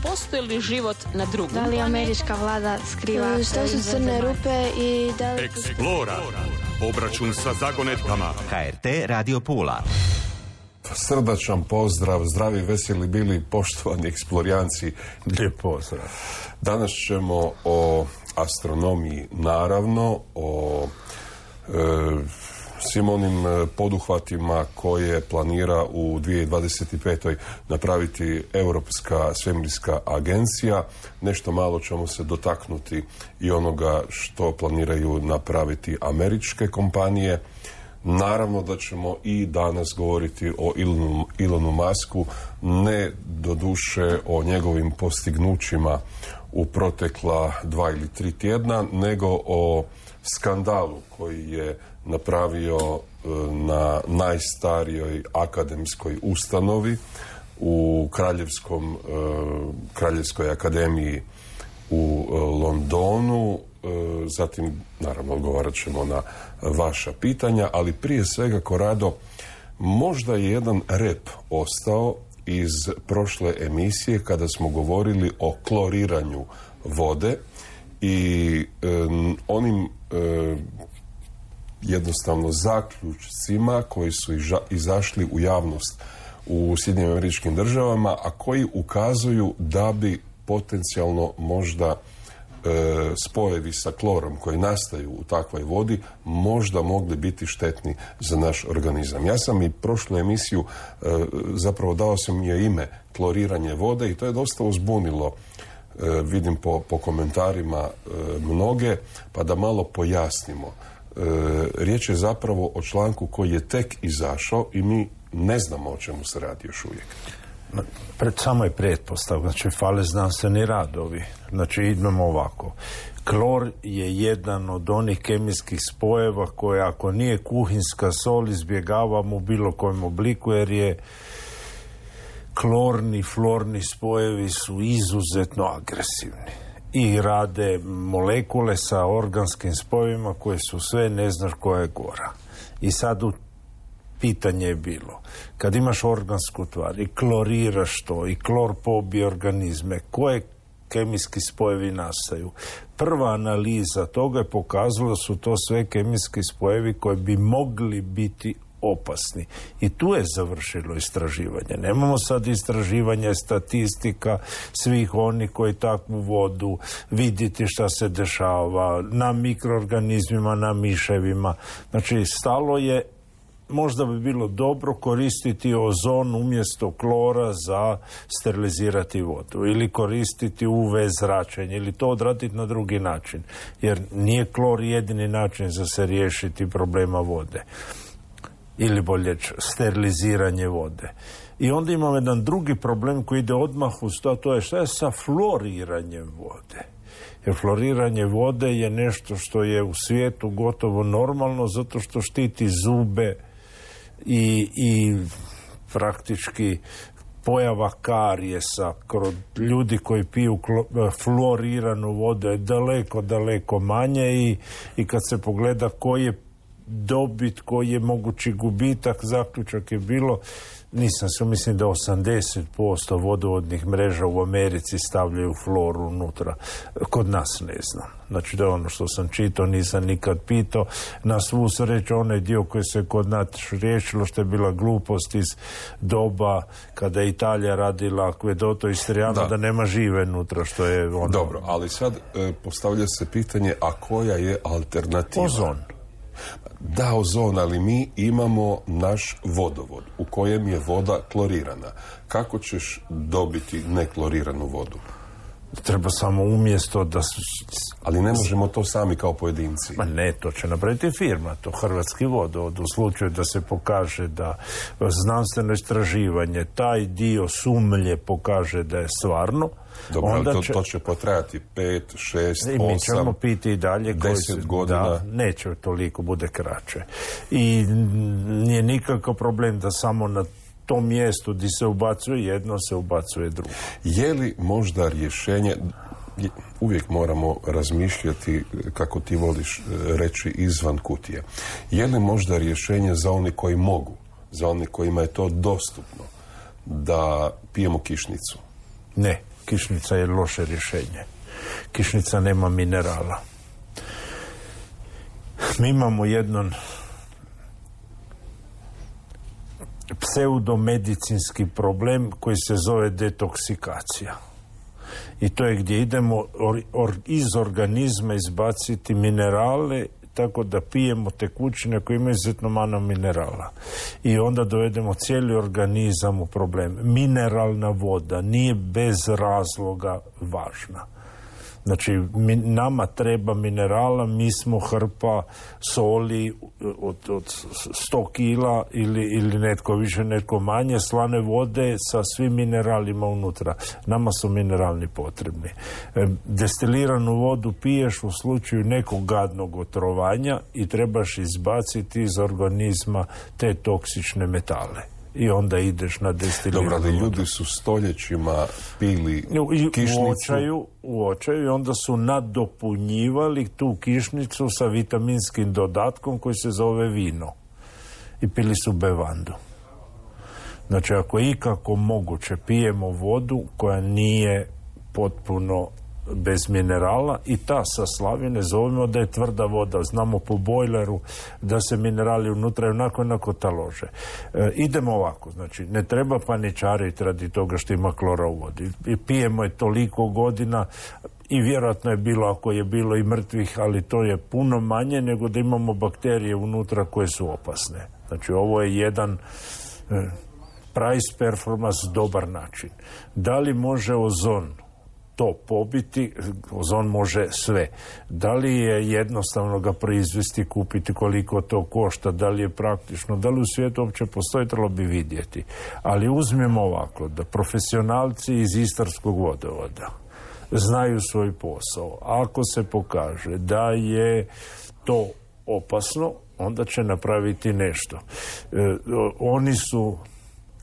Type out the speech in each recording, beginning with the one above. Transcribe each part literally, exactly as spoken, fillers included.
postoji li život na drugom planetu? Da li američka vlada skriva? Što su crne rupe i da li... Eksplora. Obračun sa zagonetkama. H R T Radio Pula. Srdačan pozdrav, zdravi, veseli bili, poštovani eksplorijanci. Lijep pozdrav. Danas ćemo o astronomiji, naravno, o e, svim onim poduhvatima koje planira u dvije tisuće dvadeset pete. napraviti Europska svemirska agencija. Nešto malo ćemo se dotaknuti i onoga što planiraju napraviti američke kompanije. Naravno da ćemo i danas govoriti o Elonu, Elonu Musku, ne doduše o njegovim postignućima u protekla dva ili tri tjedna, nego o skandalu koji je napravio na najstarijoj akademskoj ustanovi u Kraljevskom, Kraljevskoj akademiji u Londonu. Zatim, naravno, odgovarat ćemo na vaša pitanja, ali prije svega, Korado, možda je jedan rep ostao iz prošle emisije kada smo govorili o kloriranju vode i um, onim um, jednostavno zaključcima koji su iža, izašli u javnost u Sjedinjenim Američkim Državama, a koji ukazuju da bi potencijalno možda e, spojevi sa klorom koji nastaju u takvoj vodi možda mogli biti štetni za naš organizam. Ja sam i prošlu emisiju e, zapravo dao sam je ime kloriranje vode i to je dosta uzbunilo, e, vidim po, po komentarima e, mnoge, pa da malo pojasnimo. E, riječ je zapravo o članku koji je tek izašao i mi ne znamo o čemu se radi još uvijek. Pred samo je pretpostavka, znači fale znanstveni radovi. Znači idemo ovako. Klor je jedan od onih kemijskih spojeva koje ako nije kuhinska sol izbjegavamo u bilo kojem obliku, jer je klorni, florni spojevi su izuzetno agresivni i rade molekule sa organskim spojevima koje su sve, ne znaš koja je gora. I sad u pitanje je bilo, kad imaš organsku tvar i kloriraš to i klor pobije organizme, koje kemijski spojevi nastaju? Prva analiza toga je pokazala da su to sve kemijski spojevi koji bi mogli biti opasni. I tu je završilo istraživanje. Nemamo sad istraživanje statistika svih onih koji takvu vodu, vidjeti šta se dešava na mikroorganizmima, na miševima. Znači, stalo je, možda bi bilo dobro koristiti ozon umjesto klora za sterilizirati vodu ili koristiti U V zračenje ili to odraditi na drugi način, jer nije klor jedini način za se riješiti problema vode ili bolje steriliziranje vode. I onda imamo jedan drugi problem koji ide odmah uz to, to je šta je sa floriranjem vode. Jer floriranje vode je nešto što je u svijetu gotovo normalno zato što štiti zube i, i praktički pojava karijesa kod ljudi koji piju floriranu vodu je daleko, daleko manje i, i kad se pogleda koji je dobit, koji je mogući gubitak, zaključak je bilo, nisam se, mislim da osamdeset posto vodovodnih mreža u Americi stavljaju floru unutra. Kod nas ne znam. Znači da je ono što sam čitao, nisam nikad pitao. Na svu sreću onaj dio koji se kod nas riješilo, što je bila glupost iz doba kada je Italija radila akvedoto Istrijano, da. da nema žive unutra, što je ono... Dobro, ali sad e, postavlja se pitanje, a koja je alternativa? Ozon. Da, ozon, ali mi imamo naš vodovod u kojem je voda klorirana. Kako ćeš dobiti nekloriranu vodu? Treba samo umjesto da su... Ali ne možemo to sami kao pojedinci. Ma ne, to će napraviti firma, to Hrvatski vodovod. U slučaju da se pokaže da znanstveno istraživanje, taj dio sumlje pokaže da je stvarno, dobro, onda to, će... to će potrajati pet, šest, I mi ćemo piti i dalje deset godina. Da, neće toliko, bude kraće. I nije nikakav problem da samo na tom mjestu gdje se ubacuje jedno, se ubacuje drugo. Je li možda rješenje, uvijek moramo razmišljati, kako ti voliš reći, izvan kutije. Je li možda rješenje za oni koji mogu, za oni kojima je to dostupno, da pijemo kišnicu? Ne. Kišnica je loše rješenje. Kišnica nema minerala. Mi imamo jedan pseudomedicinski problem koji se zove detoksikacija. I to je gdje idemo or, or, iz organizma izbaciti minerale tako da pijemo tekućine koje imaju izuzetno malo minerala. I onda dovedemo cijeli organizam u problem. Mineralna voda nije bez razloga važna. Znači, mi, nama treba minerala, mi smo hrpa soli od, od sto kila ili, ili netko više, netko manje, slane vode sa svim mineralima unutra. Nama su mineralni potrebni. E, destiliranu vodu piješ u slučaju nekog gadnog otrovanja i trebaš izbaciti iz organizma te toksične metale. I onda ideš na destiliranu vodu. Dobro, ali ljudi su stoljećima pili kišnicu. U očaju, u očaju i onda su nadopunjivali tu kišnicu sa vitaminskim dodatkom koji se zove vino. I pili su bevandu. Znači, ako je ikako moguće, pijemo vodu koja nije potpuno bez minerala i ta sa slavine zovemo da je tvrda voda. Znamo po bojleru da se minerali unutra onako onako talože. E, idemo ovako, znači ne treba paničariti radi toga što ima klora u vodi. I pijemo je toliko godina i vjerojatno je bilo, ako je bilo i mrtvih, ali to je puno manje nego da imamo bakterije unutra koje su opasne. Znači ovo je jedan e, price performance dobar način. Da li može ozon to pobiti? Ozon može sve. Da li je jednostavno ga proizvesti, kupiti, koliko to košta, da li je praktično, da li u svijetu uopće postoji, trebalo bi vidjeti. Ali uzmemo ovako, da profesionalci iz Istarskog vodovoda znaju svoj posao. Ako se pokaže da je to opasno, onda će napraviti nešto. E, oni su,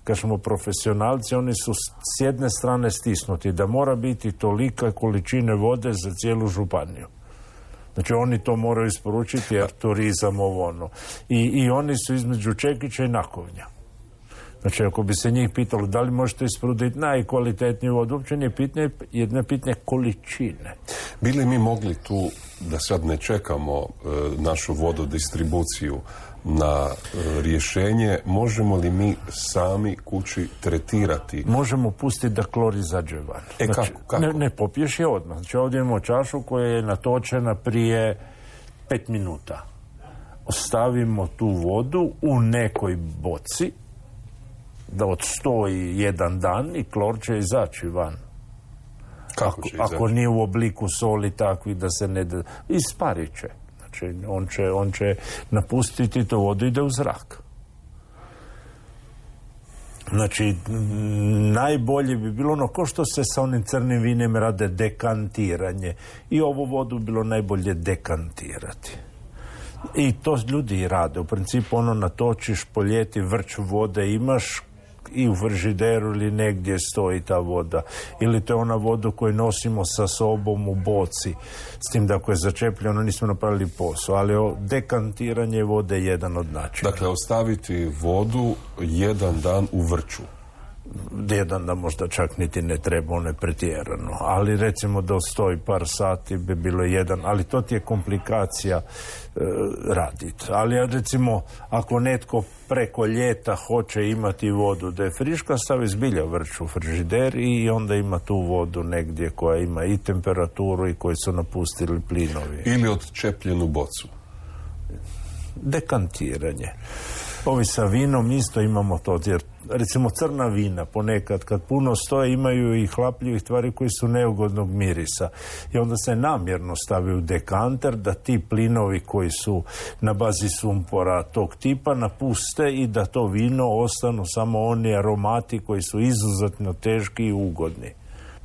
kažemo profesionalci, oni su s jedne strane stisnuti da mora biti tolika količine vode za cijelu županiju. Znači oni to moraju isporučiti jer turizam ovo ono. I, i oni su između Čekića i Nakovnja. Znači ako bi se njih pitalo da li možete isporučiti najkvalitetniju vodu, uopće nije pitanje, jedne pitanje količine. Bili mi mogli tu, da sad ne čekamo e, našu vododistribuciju na e, rješenje, možemo li mi sami kući tretirati? Možemo pustiti da klor izađe van. E znači, kako? kako? Ne, ne popiješ je odmah. Znači ovdje imamo čašu koja je natočena prije pet minuta. Ostavimo tu vodu u nekoj boci da odstoji jedan dan i klor će izaći van. Kako ako, će izaći? Ako nije u obliku soli takvi da se ne... Da, isparit će. Znači, on će, on će napustiti tu vodu i ide u zrak. Znači, najbolje bi bilo ono, ko što se sa onim crnim vinem rade dekantiranje. I ovu vodu bilo najbolje dekantirati. I to ljudi rade. U principu ono natočiš po ljeti, vrč vode imaš i u frižideru ili negdje stoji ta voda. Ili to je ona voda koju nosimo sa sobom u boci. S tim da ako je začepljeno nismo napravili posao. Ali dekantiranje vode je jedan od načina. Dakle, ostaviti vodu jedan dan u vrču. Jedan da možda čak niti ne treba, ono je pretjerano. Ali recimo da stoji par sati bi bilo jedan, ali to ti je komplikacija e, raditi. Ali recimo ako netko preko ljeta hoće imati vodu da je friška, stavi zbilja vrč u frižider i onda ima tu vodu negdje koja ima i temperaturu i koji su napustili plinovi. Ili odčepljenu bocu. Dekantiranje. Ovi sa vinom isto imamo to, jer recimo crna vina ponekad kad puno stoje imaju i hlapljivih tvari koji su neugodnog mirisa i onda se namjerno stavi u dekanter da ti plinovi koji su na bazi sumpora tog tipa napuste i da to vino ostanu samo oni aromati koji su izuzetno teški i ugodni.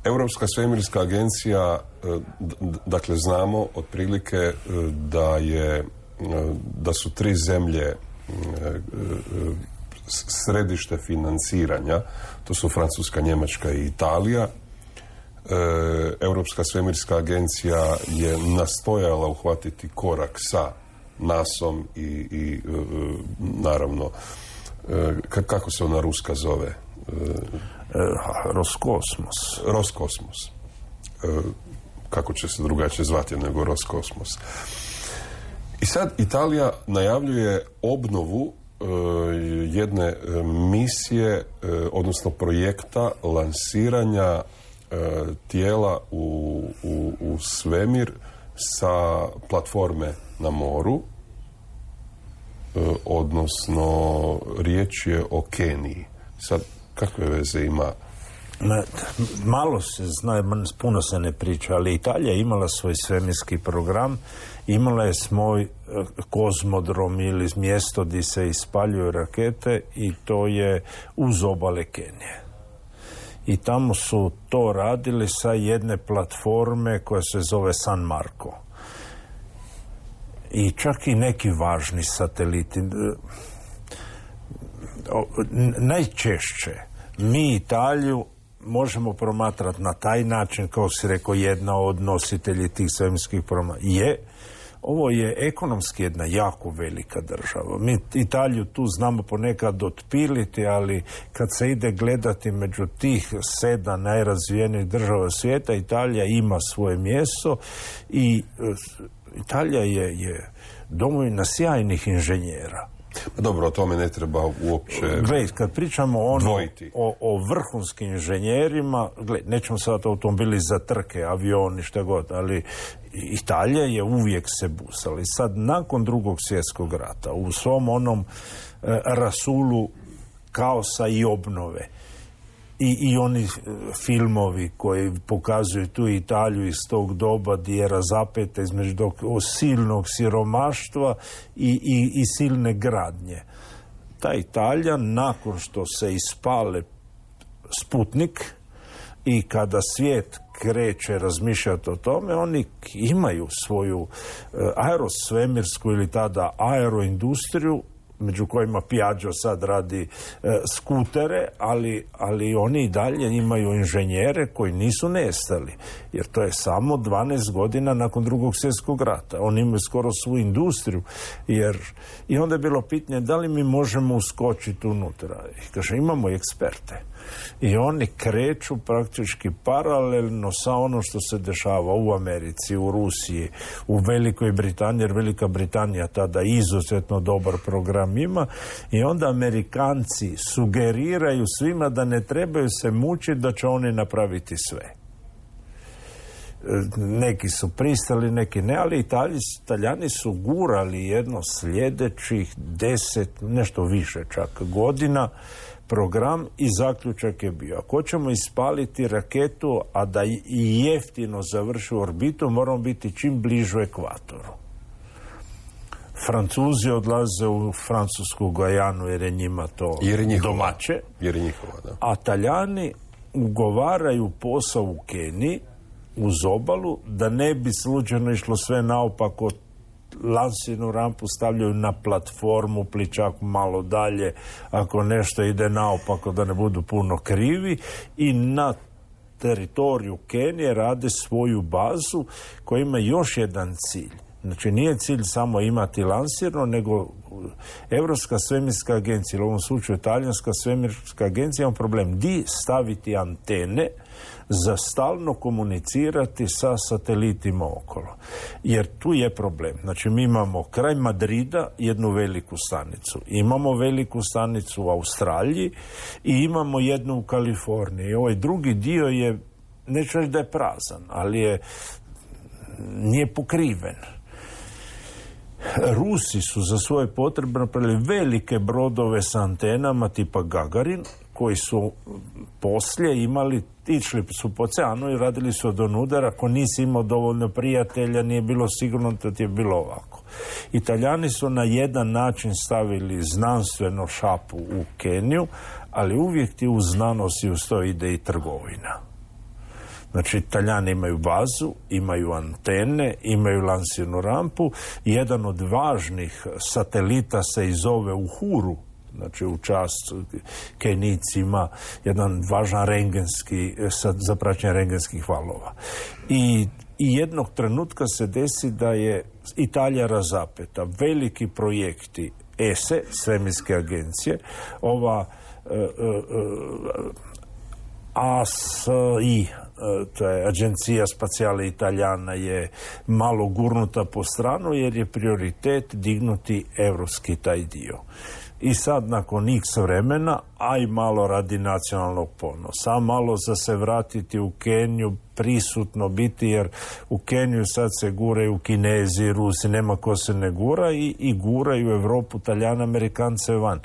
Europska svemirska agencija, dakle znamo otprilike da je da su tri zemlje središte financiranja, to su Francuska, Njemačka i Italija. Europska svemirska agencija je nastojala uhvatiti korak sa nasom i, i naravno, kako se ona ruska zove? Roskosmos. Roskosmos. E, kako će se drugačije zvati nego Roskosmos. I sad Italija najavljuje obnovu e, jedne misije, e, odnosno projekta lansiranja e, tijela u, u, u svemir sa platforme na moru, e, odnosno riječ je o Keniji. Sad, kakve veze ima? Malo se zna, puno se ne priča, ali Italija je imala svoj svemirski program, imala je svoj kozmodrom ili mjesto gdje se ispaljuju rakete i to je uz obale Kenije. I tamo su to radili sa jedne platforme koja se zove San Marco. I čak i neki važni sateliti. Najčešće mi Italiju možemo promatrati na taj način, kao si rekao, jedna od nositelji tih svemirskih programa je, ovo je ekonomski jedna jako velika država. Mi Italiju tu znamo ponekad otpiliti, ali kad se ide gledati među tih sedam najrazvijenijih država svijeta, Italija ima svoje mjesto i Italija je, je domovina sjajnih inženjera. Dobro, o tome ne treba uopće Gled, kad pričamo ono o, o vrhunskim inženjerima, gled, nećemo sad automobili za trke, avioni, šta god, ali Italija je uvijek se busala. I sad, nakon drugog svjetskog rata, u svom onom e, rasulu kaosa i obnove, I, i oni filmovi koji pokazuju tu Italiju iz tog doba gdje je razapeta između silnog siromaštva i, i, i silne gradnje. Ta Italija, nakon što se ispale Sputnik i kada svijet kreće razmišljati o tome, oni imaju svoju aerosvemirsku ili tada aeroindustriju, među kojima Piaggio sad radi e, skutere, ali, ali oni i dalje imaju inženjere koji nisu nestali, jer to je samo dvanaest godina nakon drugog svjetskog rata. Oni imaju skoro svu industriju, jer i onda je bilo pitanje da li mi možemo uskočiti unutra. I kaže, imamo eksperte. I oni kreću praktički paralelno sa ono što se dešava u Americi, u Rusiji, u Velikoj Britaniji, jer Velika Britanija tada izuzetno dobar program ima, i onda Amerikanci sugeriraju svima da ne trebaju se mučiti, da će oni napraviti sve. Neki su pristali, neki ne, ali Italiji, Italijani su gurali jedno sljedećih deset, nešto više čak godina, program, i zaključak je bio: ako ćemo ispaliti raketu, a da i jeftino završi orbitu, moramo biti čim bližu ekvatoru. Francuzi odlaze u francusku Gajanu jer je njima to jer je njihova, domaće. Jer je njihova, da. A Talijani ugovaraju posao u Keniji uz obalu, da ne bi slučajno išlo sve naopako, lansirnu rampu stavljaju na platformu, pličak malo dalje, ako nešto ide naopako da ne budu puno krivi, i na teritoriju Kenije rade svoju bazu koja ima još jedan cilj. Znači, nije cilj samo imati lansirno, nego Europska svemirska agencija, ili u ovom slučaju Talijanska svemirska agencija, ima problem di staviti antene za stalno komunicirati sa satelitima okolo. Jer tu je problem. Znači, mi imamo kraj Madrida jednu veliku stanicu. Imamo veliku stanicu u Australiji i imamo jednu u Kaliforniji. I ovaj drugi dio je, neću reći da je prazan, ali je, nije pokriven. Rusi su za svoje potrebe napravili velike brodove sa antenama tipa Gagarin, koji su poslije imali, išli su po oceanu i radili su od onudara. Ako nisi imao dovoljno prijatelja, nije bilo sigurno da ti je bilo ovako. Italijani su na jedan način stavili znanstveno šapu u Keniju, ali uvijek ti uz znanost i uz to ide i trgovina. Znači, Italijani imaju bazu, imaju antene, imaju lansirnu rampu. Jedan od važnih satelita se i zove Uhuru, znači u čast Kenijcima, jedan važan rengenski, za praćenje rengenskih valova. I, I jednog trenutka se desi da je Italija razapeta. Veliki projekti E S E, svemirske agencije, ova e, e, A S I, to je Agencija Spacijale Italijana, je malo gurnuta po stranu jer je prioritet dignuti evropski taj dio. I sad nakon x vremena, a i malo radi nacionalnog ponosa, a malo za se vratiti u Keniju, prisutno biti, jer u Keniju sad se guraju Kinezi, Rusi, nema ko se ne gura i, i guraju Europu, Talijane, Amerikance van.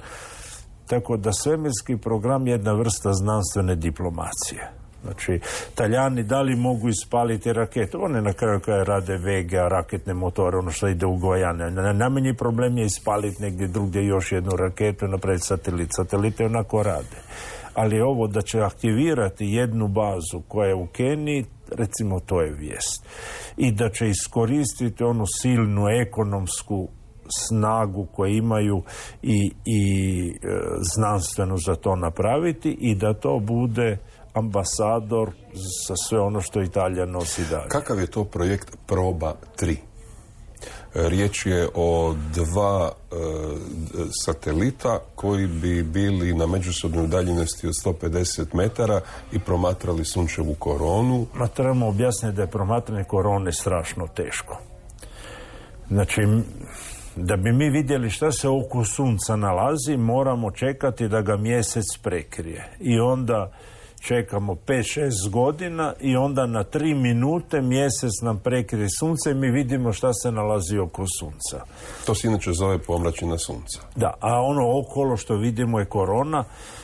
Tako da svemirski program je jedna vrsta znanstvene diplomacije. Znači, Talijani da li mogu ispaliti rakete? One na kraju kada rade Vega, raketne motore, ono što ide u Gojane. Najmanji problem je ispaliti negdje drugdje još jednu raketu i napraviti satelit. Satelite onako rade. Ali ovo da će aktivirati jednu bazu koja je u Keniji, recimo to je vijest. I da će iskoristiti onu silnu ekonomsku snagu koju imaju i, i e, znanstveno za to napraviti i da to bude ambasador za sve ono što Italija nosi dalje. Kakav je to projekt Proba tri? Riječ je o dva e, satelita koji bi bili na međusobnoj udaljenosti od sto pedeset metara i promatrali sunčevu koronu. Ma trebamo objasniti da je promatranje korone strašno teško. Znači, da bi mi vidjeli šta se oko sunca nalazi, moramo čekati da ga mjesec prekrije. I onda čekamo pet šest godina i onda na tri minute mjesec nam prekrije sunce i mi vidimo šta se nalazi oko sunca. To se inače zove pomračina sunca. Da, a ono okolo što vidimo je korona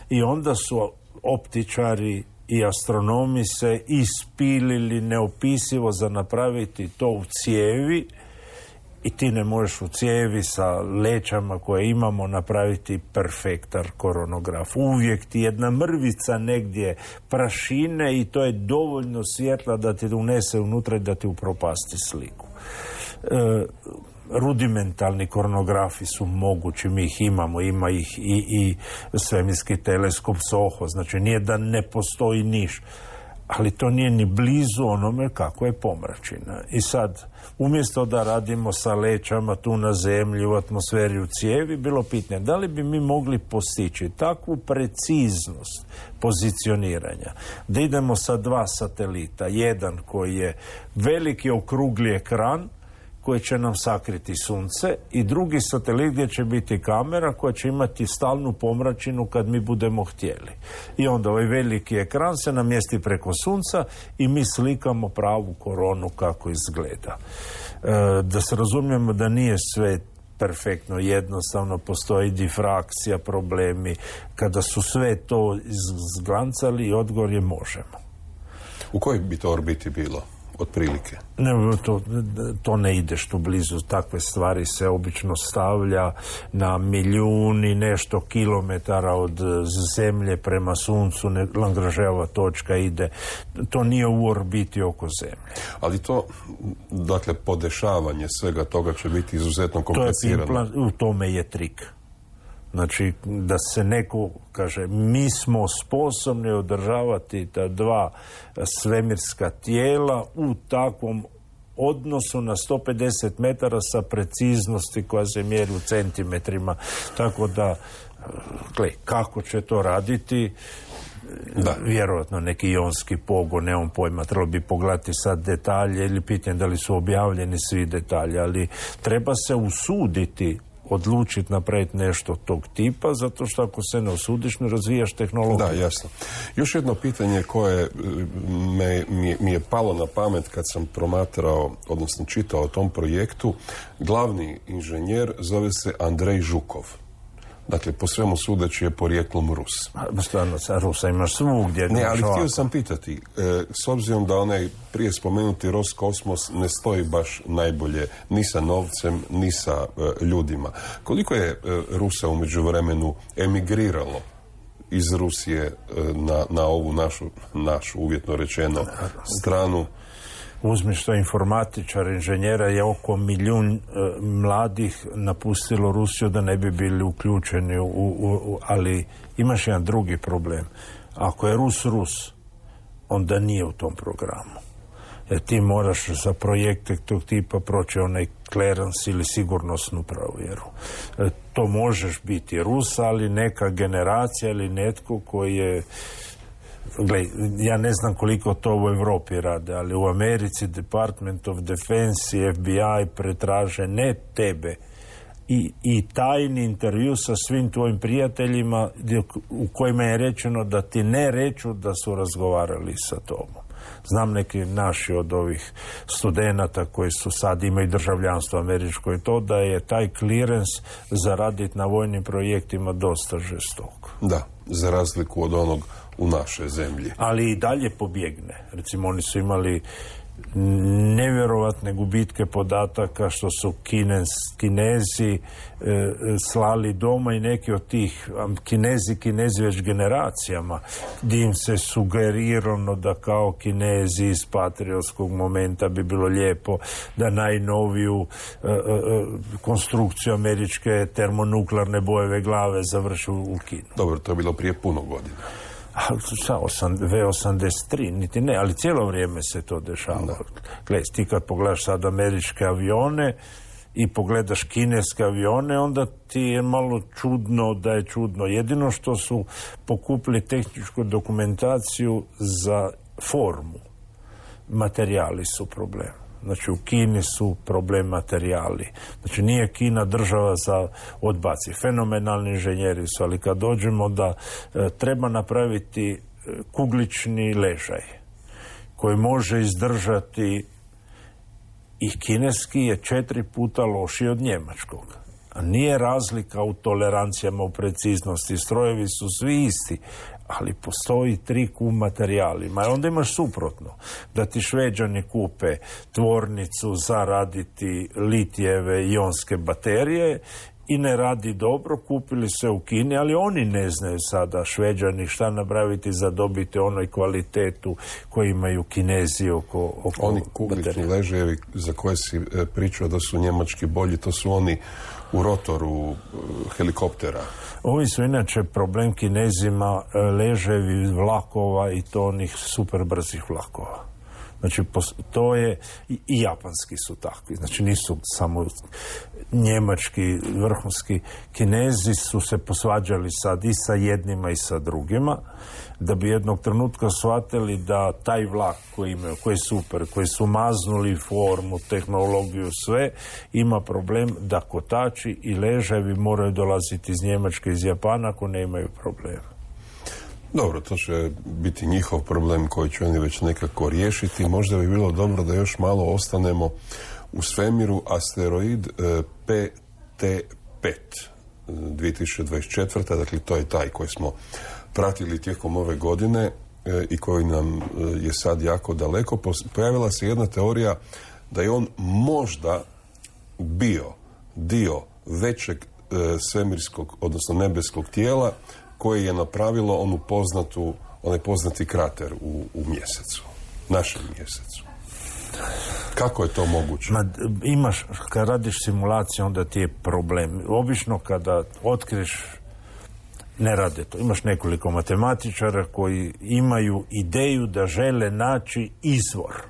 i onda su optičari i astronomi se ispilili neopisivo za napraviti to u cijevi. I ti ne možeš u cijevi sa lećama koje imamo napraviti perfektan koronograf. Uvijek ti jedna mrvica negdje prašine i to je dovoljno svjetla da ti unese unutra i da ti upropasti sliku. E, rudimentalni koronografi su mogući, mi ih imamo, ima ih i, i svemirski teleskop SOHO, znači nije da ne postoji niš. Ali to nije ni blizu onome kako je pomračina. I sad, umjesto da radimo sa lećama tu na zemlji, u atmosferi, u cijevi, bilo pitanje da li bi mi mogli postići takvu preciznost pozicioniranja, da idemo sa dva satelita, jedan koji je veliki okrugli ekran, koji će nam sakriti sunce i drugi satelit gdje će biti kamera koja će imati stalnu pomračinu kad mi budemo htjeli. I onda ovaj veliki ekran se namjesti preko sunca i mi slikamo pravu koronu kako izgleda. E, da se razumijemo da nije sve perfektno, jednostavno postoji difrakcija, problemi. Kada su sve to izglancali, odgovor je možemo. U kojoj bi to orbiti bilo? Otprilike. Ne, to, to ne ideš tu blizu, takve stvari se obično stavlja na milijuni nešto kilometara od zemlje prema suncu, ne, Lagrangeova točka ide, to nije u orbiti oko zemlje. Ali to, dakle, podešavanje svega toga će biti izuzetno komplicirano. To je implant, u tome je trik. Znači, da se neko kaže, mi smo sposobni održavati ta dva svemirska tijela u takvom odnosu na sto pedeset metara sa preciznosti koja se mjeri u centimetrima. Tako da, gle, kako će to raditi? Da. Vjerojatno neki ionski pogon, nemam pojma, trebalo bi pogledati sad detalje ili pitanje da li su objavljeni svi detalji, ali treba se usuditi odlučiti napraviti nešto tog tipa, zato što ako se ne osudiš, ne razvijaš tehnologiju. Da, jasno. Još jedno pitanje koje me, mi, mi je palo na pamet kad sam promatrao, odnosno čitao o tom projektu. Glavni inženjer zove se Andrej Žukov. Dakle, po svemu sudeći je porijeklom Rus. Stvarno, sa Rusa imaš svugdje. Ne, ali htio sam pitati, e, s obzirom da onaj prije spomenuti Roskosmos ne stoji baš najbolje ni sa novcem, ni sa e, ljudima. Koliko je e, Rusa u međuvremenu emigriralo iz Rusije e, na, na ovu našu, našu, uvjetno rečeno, stranu? Uzmi što informatičar, inženjera je oko milijun e, mladih napustilo Rusiju da ne bi bili uključeni u, u, u, ali imaš jedan drugi problem. Ako je Rus Rus, onda nije u tom programu. Jer ti moraš za projekte tog tipa proći onaj clearance ili sigurnosnu provjeru. E, to možeš biti Rus, ali neka generacija ili netko koji je Gle, ja ne znam koliko to u Europi rade, ali u Americi Department of Defense i F B I pretraže ne tebe i, i tajni intervju sa svim tvojim prijateljima u kojima je rečeno da ti ne reču da su razgovarali sa tobom. Znam neki naši od ovih studenata koji su sad imaju državljanstvo američko i to da je taj clearance za raditi na vojnim projektima dosta žestok. Da, za razliku od onog u našoj zemlji. Ali i dalje pobjegne. Recimo oni su imali nevjerovatne gubitke podataka što su Kines, Kinezi e, slali doma i neki od tih Kinezi, Kinezi već generacijama gdje im se sugerirano da kao Kinezi iz patriotskog momenta bi bilo lijepo da najnoviju e, e, konstrukciju američke termonuklearne bojeve glave završi u Kinu. Dobro, to je bilo prije puno godina. V osamdeset tri, niti ne, ali cijelo vrijeme se to dešava. Gle, ti kad pogledaš sad američke avione i pogledaš kineske avione, onda ti je malo čudno da je čudno. Jedino što su pokupili tehničku dokumentaciju za formu. Materijali su problem. Znači u Kini su problem materijali. Znači nije Kina država za odbaci. Fenomenalni inženjeri su, ali kad dođemo da e, treba napraviti kuglični ležaj koji može izdržati i kineski je četiri puta lošiji od njemačkog. A nije razlika u tolerancijama, u preciznosti. Strojevi su svi isti, ali postoji trik u materijalima. I onda imaš suprotno. Da ti Šveđani kupe tvornicu za raditi litijeve ionske baterije i ne radi dobro, kupili se u Kini, ali oni ne znaju sada Šveđani šta napraviti za dobiti onoj kvalitetu koju imaju Kinezi oko, oko oni kuglični ležajevi za koje si pričao da su njemački bolji, to su oni u rotoru helikoptera. Ovi su inače problem Kinezima leževi vlakova i to onih super brzih vlakova. Znači, to je, i japanski su takvi, znači nisu samo njemački, vrhunski. Kinezi su se posvađali sad i sa jednima i sa drugima, da bi jednog trenutka shvatili da taj vlak koji imaju, koji je super, koji su maznuli formu, tehnologiju, sve, ima problem da kotači i ležajevi moraju dolaziti iz Njemačke, iz Japana, ako ne imaju problema. Dobro, to će biti njihov problem koji će oni već nekako riješiti. Možda bi bilo dobro da još malo ostanemo u svemiru. Asteroid P T pet dvije tisuće dvadeset četvrta. Dakle, to je taj koji smo pratili tijekom ove godine i koji nam je sad jako daleko. Pojavila se jedna teorija da je on možda bio dio većeg svemirskog, odnosno nebeskog tijela koje je napravilo onu poznatu, onaj poznati krater u, u mjesecu, našem mjesecu. Kako je to moguće? Ma, imaš, kad radiš simulaciju, onda ti je problem. Obično kada otkriješ, ne rade to. Imaš nekoliko matematičara koji imaju ideju da žele naći izvor.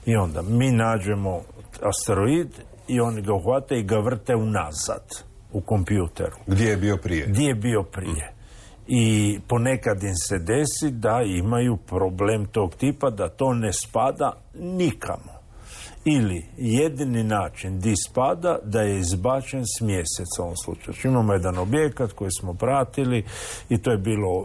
I onda mi nađemo asteroid i oni ga uhvate i ga vrte unazad u kompjuteru. Gdje je bio prije? Gdje je bio prije. Mm. I ponekad im se desi da imaju problem tog tipa, da to ne spada nikamo. Ili jedini način di spada da je izbačen s mjeseca u ovom slučaju. Imamo jedan objekat koji smo pratili i to je bilo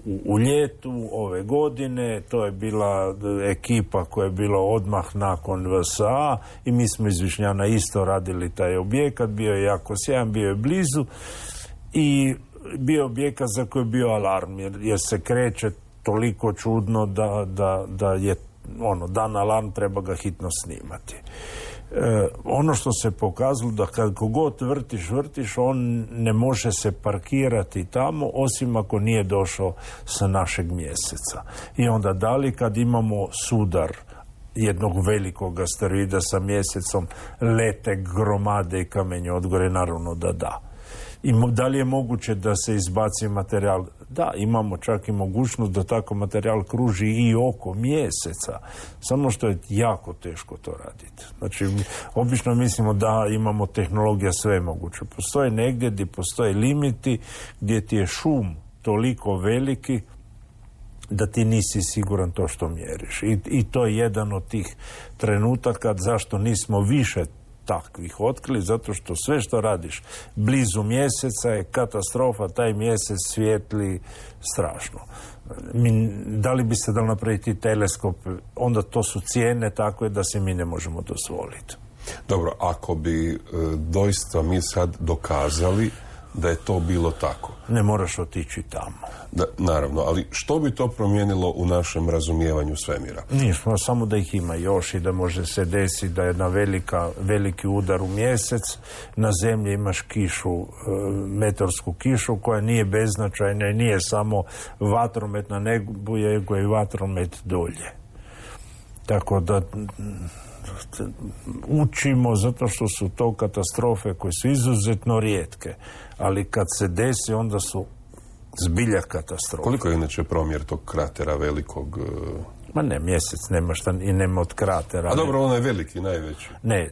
u, u ljetu ove godine, to je bila ekipa koja je bila odmah nakon V S A i mi smo iz Višnjana isto radili taj objekat, bio je jako sjajan, bio je blizu i bio objekat za koji je bio alarm jer, jer se kreće toliko čudno da, da, da je ono, dan alarm, treba ga hitno snimati. E, ono što se pokazalo da kako god vrtiš, vrtiš, on ne može se parkirati tamo osim ako nije došao sa našeg mjeseca. I onda da li kad imamo sudar jednog velikog asteroida sa mjesecom, lete gromade i kamenje odgore, naravno da da. I da li je moguće da se izbaci materijal? Da, imamo čak i mogućnost da tako materijal kruži i oko mjeseca. Samo što je jako teško to raditi. Znači, obično mislimo da imamo tehnologija sve moguće. Postoje negdje gdje postoje limiti, gdje ti je šum toliko veliki da ti nisi siguran to što mjeriš. I, i to je jedan od tih trenutaka zašto nismo više takvih otkrili, zato što sve što radiš blizu mjeseca je katastrofa, taj mjesec svijetli strašno. Mi, da li bi se dal napraviti teleskop, onda to su cijene takve da se mi ne možemo dozvoliti. Dobro, ako bi e, doista mi sad dokazali da je to bilo tako. Ne moraš otići tamo. Da, naravno, ali što bi to promijenilo u našem razumijevanju svemira? Nismo, samo da ih ima još i da može se desiti da je na velika, veliki udar u mjesec, na zemlji imaš kišu, metorsku kišu koja nije beznačajna i nije samo vatromet na nebu, nego je i vatromet dolje. Tako da učimo zato što su to katastrofe koje su izuzetno rijetke, ali kad se desi onda su zbilja katastrofe. Koliko je inače promjer tog kratera velikog? Ma ne, mjesec nema šta i nema od kratera. A dobro, on je veliki, najveći. Ne,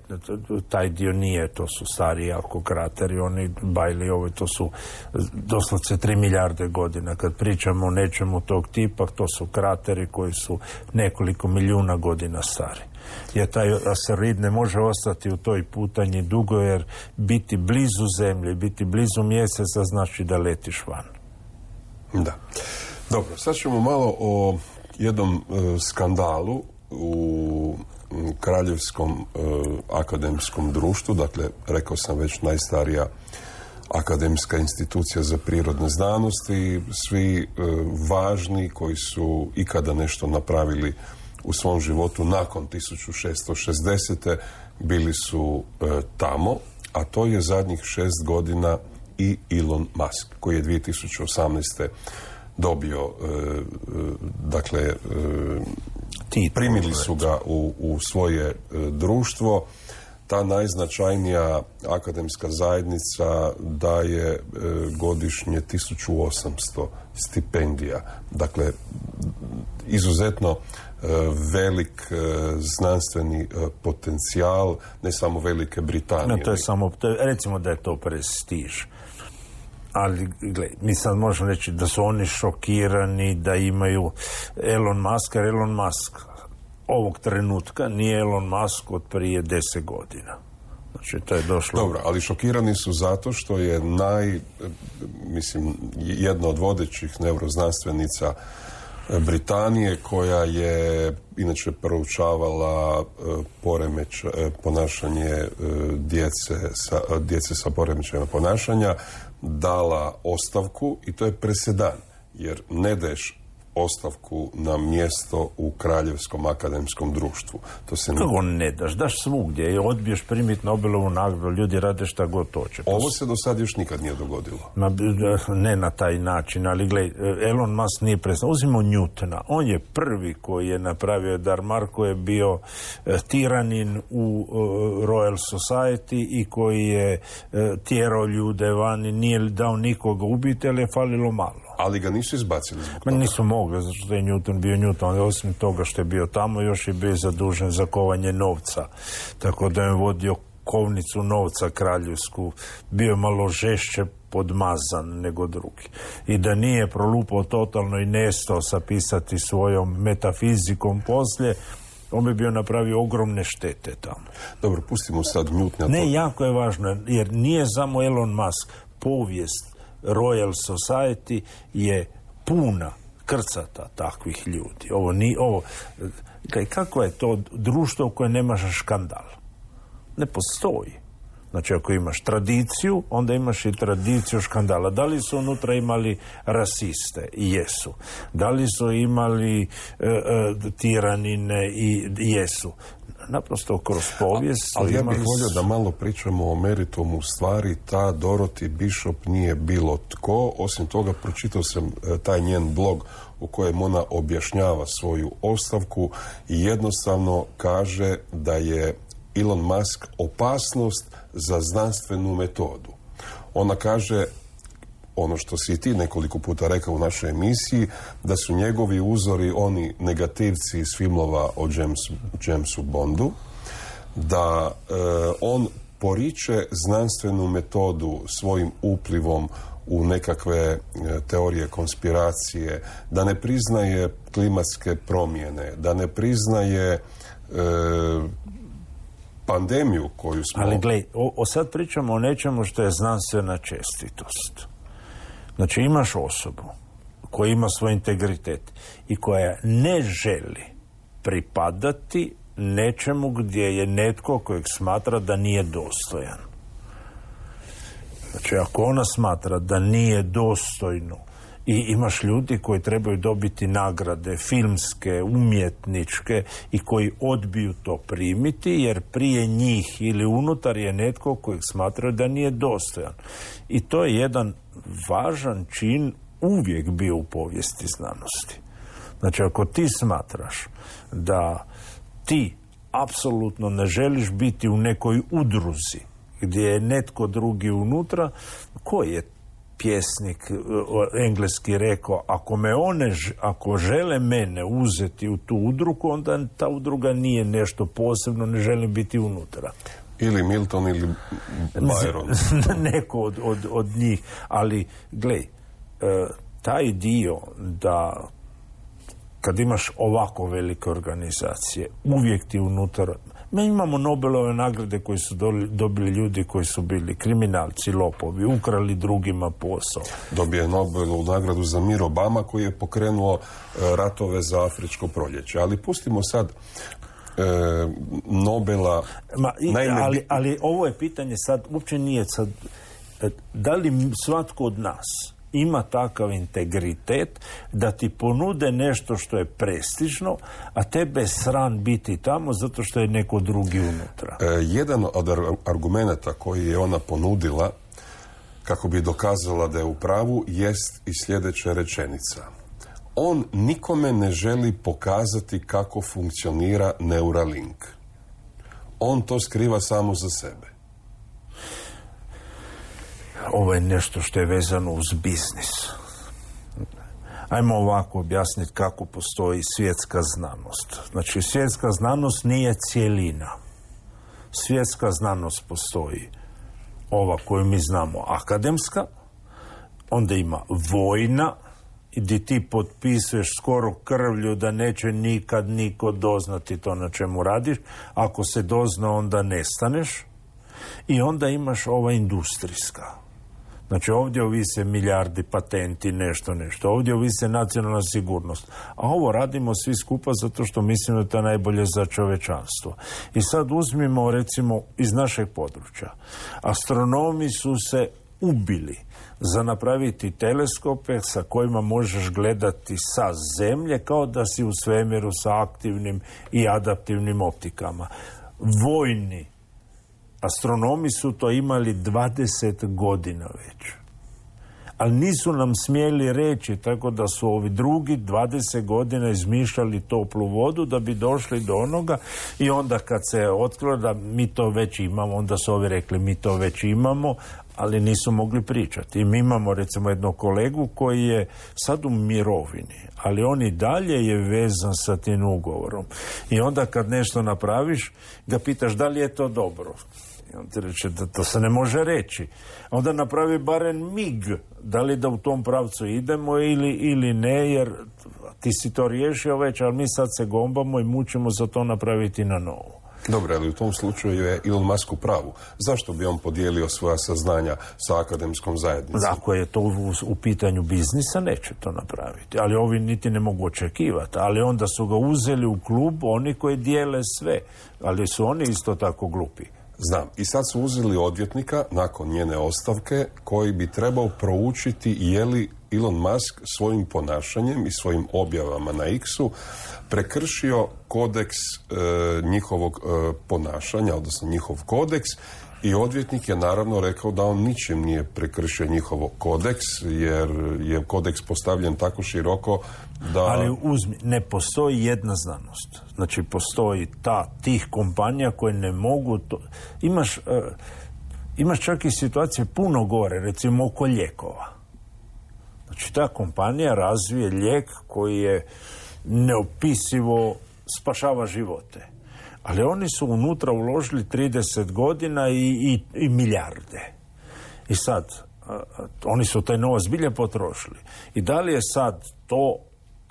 taj dio nije, to su stari jako krateri, oni bajli ovi, to su doslovce tri milijarde godina. Kad pričamo o nečemu tog tipa, to su krateri koji su nekoliko milijuna godina stari. Jer taj asteroid ne može ostati u toj putanji dugo, jer biti blizu Zemlje, biti blizu mjeseca znači da letiš van. Da. Dobro, sad ćemo malo o jednom e, skandalu u m, Kraljevskom e, akademskom društvu, dakle, rekao sam već najstarija akademska institucija za prirodne znanosti, svi e, važni koji su ikada nešto napravili u svom životu nakon tisuću šesto šezdesete bili su e, tamo, a to je zadnjih šest godina i Elon Musk, koji je dvije tisuće osamnaeste dobio, e, e, dakle, e, primili su ga u, u svoje e, društvo. Ta najznačajnija akademska zajednica daje e, godišnje tisuću osamsto stipendija. Dakle, izuzetno e, velik e, znanstveni e, potencijal, ne samo Velike Britanije. No, to je samo, to je, recimo da je to prestiž. Ali, gle, mi sad možemo reći da su oni šokirani da imaju Elon Musk, jer Elon Musk ovog trenutka nije Elon Musk od prije deset godina. Znači, to je došlo... Dobro, ali šokirani su zato što je naj, mislim, jedna od vodećih neuroznanstvenica Britanije, koja je inače proučavala poremeć, ponašanje djece sa, djece sa poremećajima ponašanja, dala ostavku, i to je presedan, jer ne daješ ostavku na mjesto u Kraljevskom akademskom društvu. To se ne... Kako ne daš? Daš svugdje i odbiješ primiti Nobelovu nagradu, ljudi rade šta god hoće. Ovo se do sad još nikad nije dogodilo. Ma, ne na taj način, ali gledaj, Elon Musk nije predstavio. Uzmimo Newtona. On je prvi koji je napravio, Dar Marko je bio e, tiranin u e, Royal Society i koji je e, tjerao ljude van i nije dao nikoga ubiti, ali je falilo malo. Ali ga nisu izbacili zbog Ma toga. nisu mogli, zato što je Newton bio Newton. Osim toga što je bio tamo, još je bio zadužen za kovanje novca. Tako da je vodio kovnicu novca kraljevsku. Bio je malo žešće podmazan nego drugi. I da nije prolupao totalno i nestao sapisati svojom metafizikom poslije, on bi bio napravio ogromne štete tamo. Dobro, pustimo sad Newtona. Ne, jako je važno, jer nije samo Elon Musk. Povijest Royal Society je puna krcata takvih ljudi. Ovo ni, ovo, kako je to društvo u koje nemaš škandal? Ne postoji. Znači, ako imaš tradiciju, onda imaš i tradiciju škandala. Da li su unutra imali rasiste? Jesu. Da li su imali e, e, tiranine? I jesu. Naprosto kroz povijest. Ali ja bih volio da malo pričamo o meritumu stvari. Ta Dorothy Bishop nije bilo tko. Osim toga, pročitao sam taj njen blog u kojem ona objašnjava svoju ostavku i jednostavno kaže da je Elon Musk opasnost za znanstvenu metodu. Ona kaže, ono što si i ti nekoliko puta rekao u našoj emisiji, da su njegovi uzori oni negativci iz filmova o Jamesu, Jamesu Bondu, da e, on poriče znanstvenu metodu svojim uplivom u nekakve teorije konspiracije, da ne priznaje klimatske promjene, da ne priznaje e, pandemiju koju smo... Ali gledaj, o, o sad pričamo o nečemu što je znanstvena čestitost. Znači imaš osobu koja ima svoj integritet i koja ne želi pripadati nečemu gdje je netko kojeg smatra da nije dostojan. Znači ako ona smatra da nije dostojno i imaš ljudi koji trebaju dobiti nagrade filmske, umjetničke i koji odbiju to primiti jer prije njih ili unutar je netko kojeg smatraju da nije dostojan. I to je jedan važan čin uvijek bio u povijesti znanosti. Znači ako ti smatraš da ti apsolutno ne želiš biti u nekoj udruzi gdje je netko drugi unutra, koji je pjesnik engleski rekao, ako me one, ako žele mene uzeti u tu udrugu, onda ta udruga nije nešto posebno, ne želim biti unutra. Ili Milton ili Byron. Neko od, od, od njih. Ali, glej, taj dio da kad imaš ovako velike organizacije, uvijek ti unutar... Mi imamo Nobelove nagrade koje su dobili ljudi koji su bili kriminalci, lopovi, ukrali drugima posao. Dobio je Nobelovu nagradu za mir Obama koji je pokrenuo ratove za afričko proljeće. Ali pustimo sad e, Nobela... Ma, i, Naime, ali, ali ovo je pitanje sad, uopće nije sad... Da li svatko od nas ima takav integritet da ti ponude nešto što je prestižno, a tebe sran biti tamo zato što je neko drugi unutra. E, jedan od argumenata koji je ona ponudila kako bi dokazala da je u pravu jest i sljedeća rečenica. On nikome ne želi pokazati kako funkcionira Neuralink. On to skriva samo za sebe. Ovo je nešto što je vezano uz biznis. Ajmo ovako objasniti kako postoji svjetska znanost. Znači, svjetska znanost nije cjelina. Svjetska znanost postoji ova koju mi znamo akademska, onda ima vojna, gdje ti potpisuješ skoro krvlju da neće nikad niko doznati to na čemu radiš. Ako se dozna, onda nestaneš. I onda imaš ova industrijska. Znači ovdje ovise milijardi patenti, nešto, nešto. Ovdje ovise nacionalna sigurnost. A ovo radimo svi skupa zato što mislimo da je to najbolje za čovečanstvo. I sad uzmimo recimo iz našeg područja. Astronomi su se ubili za napraviti teleskope sa kojima možeš gledati sa zemlje kao da si u svemiru sa aktivnim i adaptivnim optikama. Vojni astronomi su to imali dvadeset godina već. Ali nisu nam smjeli reći, tako da su ovi drugi dvadeset godina izmišljali toplu vodu da bi došli do onoga i onda kad se otkrilo da mi to već imamo, onda su ovi rekli mi to već imamo, ali nisu mogli pričati. I mi imamo recimo jednog kolegu koji je sad u mirovini, ali on i dalje je vezan sa tim ugovorom. I onda kad nešto napraviš, ga pitaš da li je to dobro. I on ti reče da to se ne može reći. Onda napravi barem mig, da li da u tom pravcu idemo ili, ili ne, jer ti si to riješio već, ali mi sad se gombamo i mučimo za to napraviti na novo. Dobro, ali u tom slučaju je Elon Musk u pravu. Zašto bi on podijelio svoja saznanja sa akademskom zajednicom? Ako je to u, u pitanju biznisa, neće to napraviti. Ali ovi niti ne mogu očekivati. Ali onda su ga uzeli u klub oni koji dijele sve. Ali su oni isto tako glupi. Znam. I sad su uzeli odvjetnika nakon njene ostavke koji bi trebao proučiti je li Elon Musk svojim ponašanjem i svojim objavama na X-u prekršio kodeks e, njihovog e, ponašanja, odnosno njihov kodeks, i odvjetnik je naravno rekao da on ničim nije prekršio njihov kodeks, jer je kodeks postavljen tako široko da... Ali uzmi, ne postoji jedna znanost. Znači postoji ta, tih kompanija koje ne mogu to... Imaš, e, imaš čak i situacije puno gore, recimo oko lijekova. Znači ta kompanija razvije lijek koji je neopisivo spašava živote. Ali oni su unutra uložili trideset godina i, i, i milijarde. I sad, Oni su taj novac zbilja potrošili. I da li je sad to,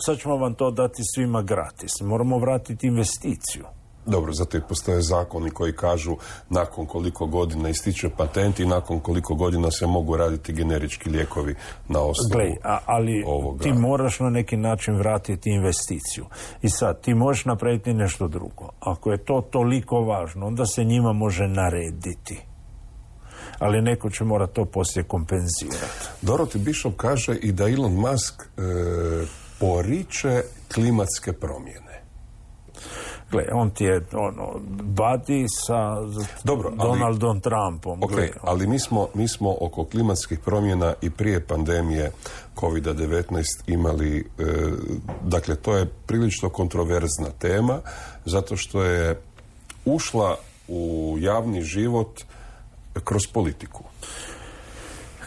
sad ćemo vam to dati svima gratis. Moramo vratiti investiciju. Dobro, zato i postoje zakoni koji kažu nakon koliko godina ističe patent i nakon koliko godina se mogu raditi generički lijekovi na osnovu Glej, a, ali ovoga. Ti moraš na neki način vratiti investiciju. I sad, ti možeš napraviti nešto drugo. Ako je to toliko važno, onda se njima može narediti. Ali neko će mora to poslije kompenzirati. Dorothy Bishop kaže i da Elon Musk e, poriče klimatske promjene. Gle, on ti je ono, badi sa Dobro, ali, Donaldom Trumpom. Ok, Gle, ali mi smo, mi smo oko klimatskih promjena i prije pandemije kovid devetnaest imali, e, dakle, to je prilično kontroverzna tema, zato što je ušla u javni život kroz politiku.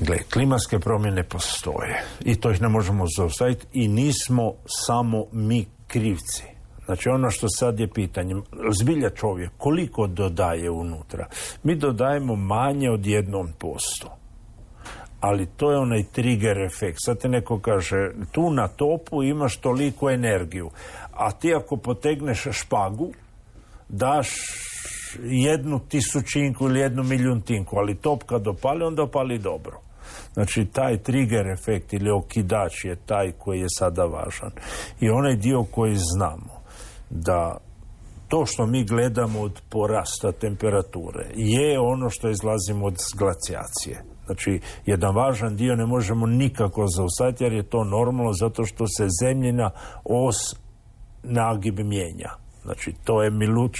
Gle, klimatske promjene postoje i to ih ne možemo zaustaviti i nismo samo mi krivci. Znači ono što sad je pitanje, zbilja čovjek, koliko dodaje unutra? Mi dodajemo manje od jednom posto. Ali to je onaj trigger efekt. Sad te neko kaže, tu na topu imaš toliko energiju, a ti ako potegneš špagu, daš jednu tisućinku ili jednu milijuntinku, ali top kad opali, onda opali dobro. Znači, taj trigger efekt ili okidač je taj koji je sada važan. I onaj dio koji znamo, da to što mi gledamo od porasta temperature je ono što izlazimo od glacijacije. Znači, jedan važan dio ne možemo nikako zaustaviti jer je to normalno zato što se zemljina os nagib mijenja. Znači, to je Miluč,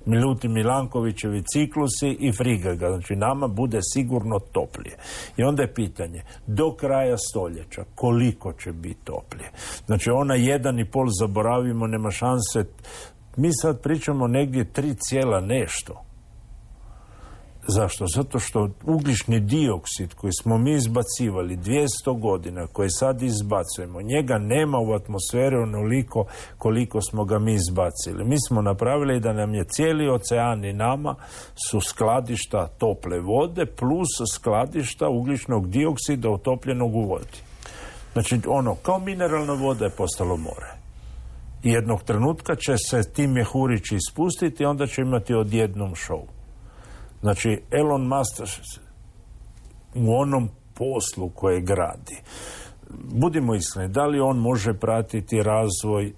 Milutin Milankovićevi ciklusi i frigaga. Znači, nama bude sigurno toplije. I onda je pitanje, do kraja stoljeća, koliko će biti toplije? Znači, ona jedan i pol zaboravimo, nema šanse. Mi sad pričamo negdje tri cijela nešto. Zašto? Zato što ugljični dioksid koji smo mi izbacivali dvjesto godina, koji sad izbacujemo, njega nema u atmosferi onoliko koliko smo ga mi izbacili. Mi smo napravili da nam je cijeli ocean i nama su skladišta tople vode plus skladišta ugljičnog dioksida utopljenog u vodi. Znači, ono, kao mineralna voda je postalo more. I jednog trenutka će se ti mjehurići ispustiti i onda će imati odjednom show. Znači, Elon Musk u onom poslu koje gradi, budimo iskreni, da li on može pratiti razvoj e,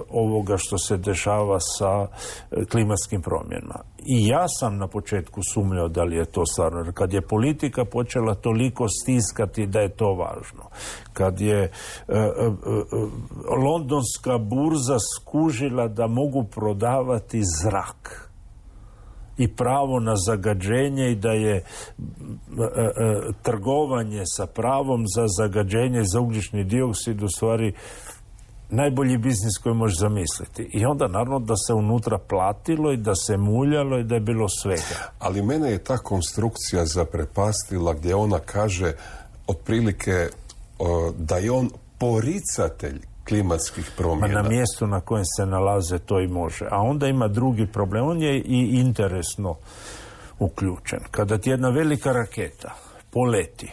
ovoga što se dešava sa e, klimatskim promjenama? I ja sam na početku sumnjao da li je to stvarno. Jer kad je politika počela toliko stiskati da je to važno, kad je e, e, e, londonska burza skužila da mogu prodavati zrak i pravo na zagađenje i da je e, e, trgovanje sa pravom za zagađenje za ugljični dioksid u stvari najbolji biznis koji možeš zamisliti. I onda naravno da se unutra platilo i da se muljalo i da je bilo svega. Ali mene je ta konstrukcija zaprepastila gdje ona kaže otprilike o, da je on poricatelj klimatskih promjena. Ma na mjestu na kojem se nalaze to i može. A onda ima drugi problem. On je i interesno uključen. Kada ti jedna velika raketa poleti,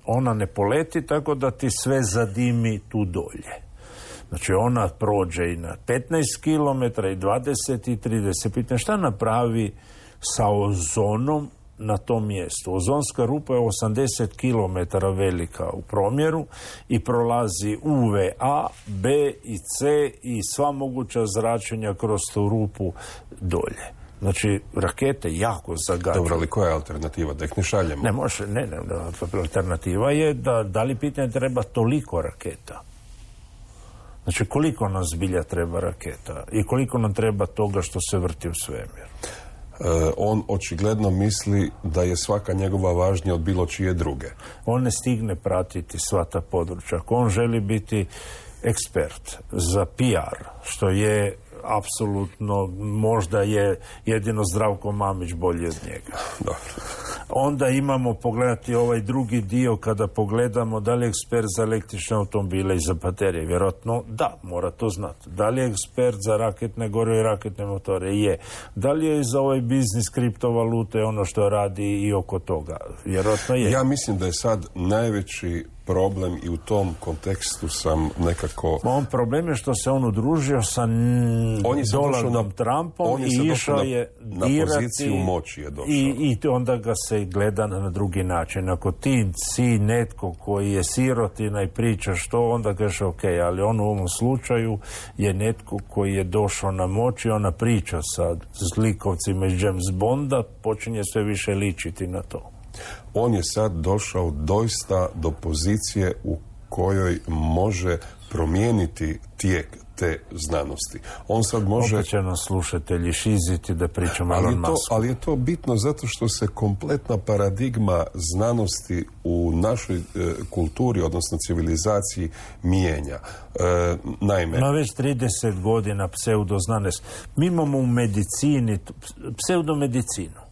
ona ne poleti tako da ti sve zadimi tu dolje. Znači ona prođe i na petnaest kilometara i dvadeset i trideset. Pitanje šta napravi sa ozonom na tom mjestu. Ozonska rupa je osamdeset kilometara velika u promjeru i prolazi U V A, B i C i sva moguća zračenja kroz tu rupu dolje. Znači, rakete jako zagađuju. Dobro, ali koja je alternativa? Da ih ne šaljemo? Ne može, ne, ne, alternativa je da, da li pitanje treba toliko raketa? Znači, koliko nam zbilja treba raketa i koliko nam treba toga što se vrti u svemiru? Uh, on očigledno misli da je svaka njegova važnija od bilo čije druge. On ne stigne pratiti sva ta područja. Ako on želi biti ekspert za P R, što je apsolutno, možda je jedino Zdravko Mamić bolji od njega. Dobro. Onda imamo pogledati ovaj drugi dio kada pogledamo da li je ekspert za električne automobile i za baterije. Vjerojatno da, mora to znati. Da li je ekspert za raketne gorivo i raketne motore? Je. Da li je za ovaj biznis kriptovalute ono što radi i oko toga? Vjerojatno je. Ja mislim da je sad najveći problem i u tom kontekstu sam nekako... On problem je što se on udružio sa Donaldom Trumpom i išao je na dirati poziciju moći je došao. I, i onda ga se gleda na drugi način. Ako ti si netko koji je sirotina i priča što, onda kažeš ok, ali on u ovom slučaju je netko koji je došao na moć i ona priča sa zlikovcima iz James Bonda počinje sve više ličiti na to. On je sad došao doista do pozicije u kojoj može promijeniti tijek te znanosti. On sad može... Opet će nas slušatelji šiziti da pričamo ali Elon to, Musku. ali je to bitno zato što se kompletna paradigma znanosti u našoj e, kulturi, odnosno civilizaciji, mijenja. E, naime... Ma već trideset godina pseudoznanost. Mi imamo u medicini pseudomedicinu.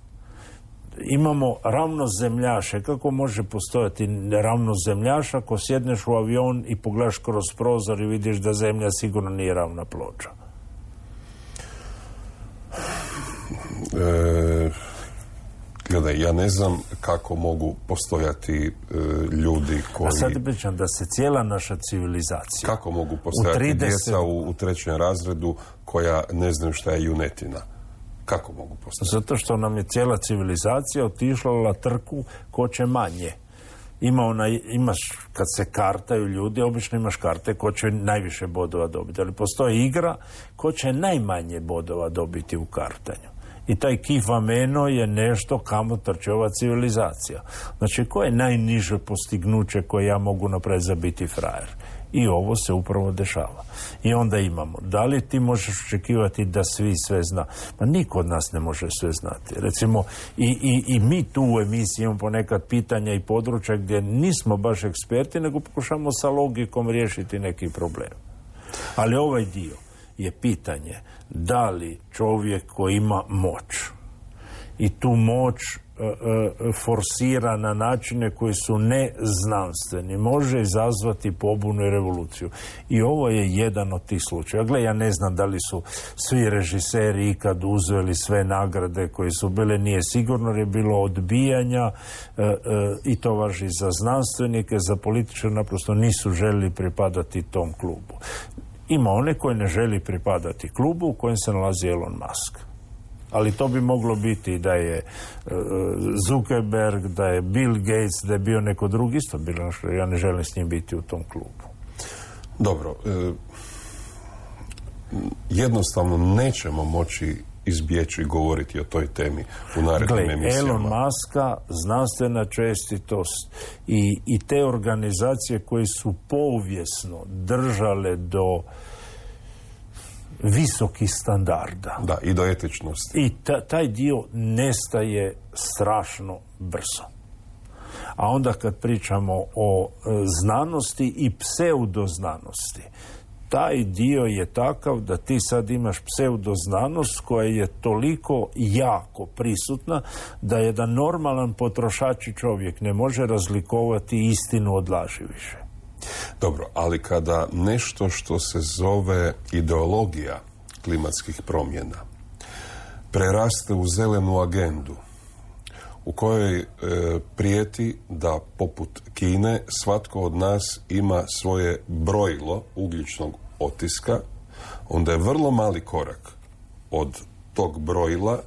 Imamo ravnozemljaše. Kako može postojati ravnozemljaš ako sjedneš u avion i pogledaš kroz prozor i vidiš da zemlja sigurno nije ravna ploča? E, gledaj, ja ne znam kako mogu postojati e, ljudi koji... A sad pričam da se cijela naša civilizacija... Kako mogu postojati trideset... djeca u, u trećem razredu koja ne znaju šta je junetina? Kako mogu postati? Zato što nam je cijela civilizacija otišla na trku ko će manje. Ima ona, imaš, kad se kartaju ljudi, obično imaš karte ko će najviše bodova dobiti. Ali postoji igra ko će najmanje bodova dobiti u kartanju. I taj kifameno je nešto kamo trče ova civilizacija. Znači, ko je najniže postignuće koje ja mogu napraviti za biti frajer? I ovo se upravo dešava. I onda imamo, da li ti možeš očekivati da svi sve zna? Pa niko od nas ne može sve znati. Recimo, i, i, i mi tu u emisiji imamo ponekad pitanja i područja gdje nismo baš eksperti, nego pokušamo sa logikom riješiti neki problem. Ali ovaj dio je pitanje da li čovjek koji ima moć i tu moć forsira na načine koji su neznanstveni, može izazvati pobunu i revoluciju. I ovo je jedan od tih slučaja. Gle, ja ne znam da li su svi režiseri ikad uzeli sve nagrade koje su bile, nije sigurno, jer je bilo odbijanja e, e, i to važi za znanstvenike, za političare, naprosto nisu željeli pripadati tom klubu. Ima one koji ne želi pripadati klubu u kojem se nalazi Elon Musk. Ali to bi moglo biti da je uh, Zuckerberg, da je Bill Gates, da je bio neko drugi, isto bilo što ja ne želim s njim biti u tom klubu. Dobro, e, jednostavno nećemo moći izbjeći govoriti o toj temi u narednim Gle, emisijama. Elon Muska, znanstvena čestitost i, i te organizacije koje su povijesno držale do visokih standarda. Da, i do etičnosti. I ta, taj dio nestaje strašno brzo. A onda kad pričamo o e, znanosti i pseudoznanosti, taj dio je takav da ti sad imaš pseudoznanost koja je toliko jako prisutna da jedan normalan potrošači čovjek ne može razlikovati istinu od laži više. Dobro, ali kada nešto što se zove ideologija klimatskih promjena preraste u zelenu agendu u kojoj e, prijeti da poput Kine svatko od nas ima svoje brojilo ugljičnog otiska, onda je vrlo mali korak od tog brojila